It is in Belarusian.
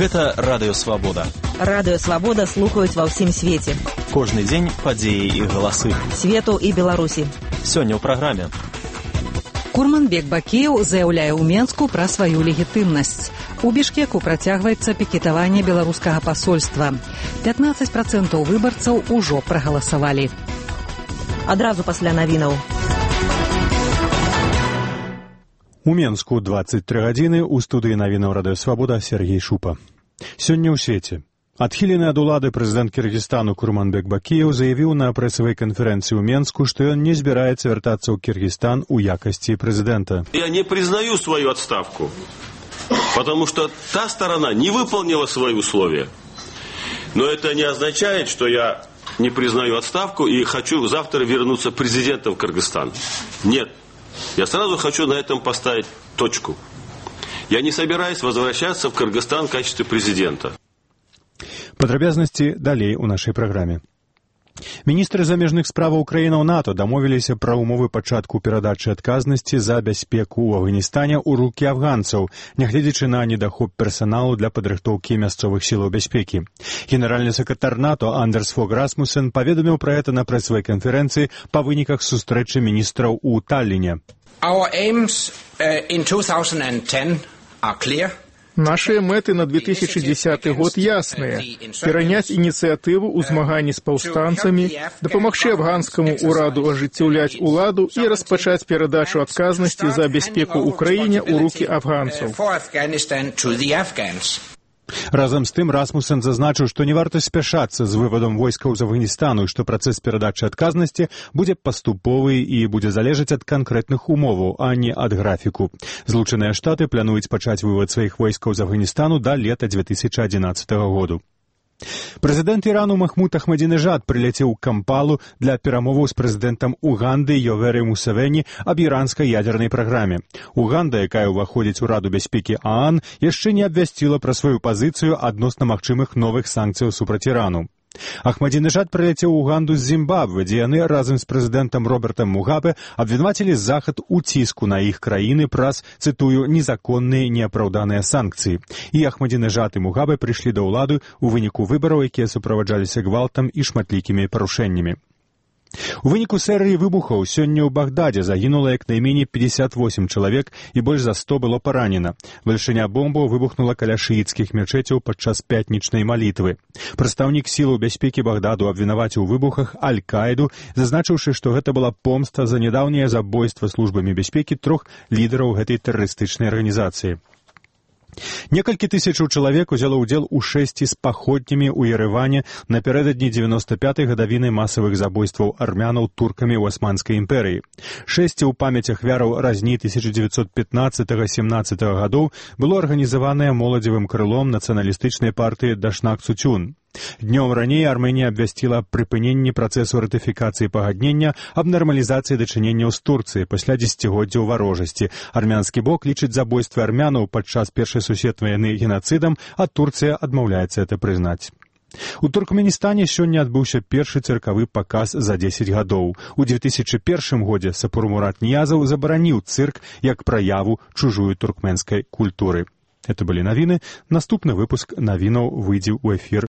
Гэта Радыё Свабода. Радыё Свабода слухаюць ва ўсім свеце. Кожны дзень падзеі і галасы. Свету і Беларусі. Сёння ў праграме. Курманбек Бакіеў заяўляе ў Менску пра сваю легітымнасць. У Бішкеку працягваецца пікетаванне беларускага пасольства. 15% выбарцаў ужо прагаласавалі. Адразу пасля навінаў. У Менску 23 гадзіны, у студыі навінаў Радыё Свабода Сергей Шупа. Сёння ў свеце. Адхілены ад улады прэзідэнт Кіргізстану Курманбек Бакіеў заявіў на прэсавай канферэнцыі ў Менску, што ён не збіраецца вяртацца ў Кіргізстан у якасці прэзідэнта. Я не признаю свою отставку, потому что та сторона не выполнила свои условия. Но это не означает, что я не признаю отставку и хочу завтра вернуться президентом в Кыргызстан. Нет. Я сразу хочу на этом поставить точку. Я не собираюсь возвращаться в Кыргызстан в качестве президента. Падрабязнасці далей у нашай праграме. Міністры замежных справаў краінаў НАТО дамовіліся пра ўмовы пачатку перадачы адказнасці за бяспеку ў Афганістане ў рукі афганцаў, нягледзячы на недахоп персаналу для падрыхтоўкі мясцовых сілаў бяспекі. Генеральны сакратар НАТО Андерс Фог Расмуссен паведаміў пра гэта на прэсавай канферэнцыі па выніках сустрэчы міністраў у Талліне. Our aims in 2010 are clear. Наши мэты на 2010 год ясныя. Пераняць ініцыятыву ў змаганні з паўстанцамі, дапамагчы афганскаму ўраду ажыццяўляць уладу і распачаць перадачу адказнасці за бяспеку ў краіне ў рукі афганцаў. Разам з тым Расмуссен зазначыў, што не варта спяшацца з вывадам войскаў з Афганістану і што працэс перадачы адказнасці будзе паступовы і будзе залежаць ад канкрэтных умоваў, а не ад графіку. Злучаныя Штаты плануюць пачаць вывад сваіх войскаў з Афганістану да лета 2011 году. Прэзідэнт Ірану Махмуд Ахмадзінежад прыляцеў у Кампалу для перамоваў з прэзідэнтам Уганды Йовері Мусевені аб іранскай ядернай праграме. Уганда, якая ўваходзіць у Раду бяспекі ААН, яшчэ не абвясціла пра сваю пазіцыю адносна магчымых новых санкцыяў супраць Ірану. Ахмадзінежад прыляцеў у Уганду з Зімбабве, дзе яны разам з прэзідэнтам Робертам Мугабе абвінавацілі Захад у ціску на іх краіны праз, цытую, незаконныя неапраўданыя санкцыі. І Ахмадзінежад і Мугабе прыйшлі да ўлады ў выніку выбараў, якія суправаджаліся гвалтам і шматлікімі парушэннямі. У выніку серыі выбухаў сёння ў Багдадзе загінула як найменей 58 чалавек і больш за 100 было паранена. Вылучэння бомбаў выбухнула каля шыіцкіх мечэцяў падчас пятнічнай малітвы. Прадстаўнік сілаў бяспекі Багдаду абвінаваціў у выбухах Аль-Каіду, зазначыўшы, што гэта была помста за нядаўняе забойства службамі бяспекі 3 лідараў гэтай тэрарыстычнай арганізацыі. Некалькі тысячаў чалавек узяло ўдзел у 6 з паходнямі ў Ерэване напярэдадні 95-й гадавіны масавых забойстваў армянаў туркамі ў Асманскай імперыі. 6 ў памяць ахвяраў разні 1915-17 гадоў было арганізаванае моладзевым крылом нацыяналістычнай партыі Дашнак Цучун. Днём раней Армэнія абвясціла прыпыненне працэсу ратыфікацыі пагаднення аб нармалізацыі дачыненняў з Турцыі пасля дзесяцігоддзяў варожасці. Армянскі бок лічыць забойствы армянаў падчас Першай сусветнай вайны генацыдам, а Турцыя адмаўляецца гэта прызнаць. У Туркменістане сёння адбыўся першы цыркавы паказ за 10 гадоў. У 2001 годзе Сапурмурат Ниязаў забараніў цырк як праяву чужую туркменскай культуры. Это былі навіны. Наступны выпуск навінаў выйдзе ў эфір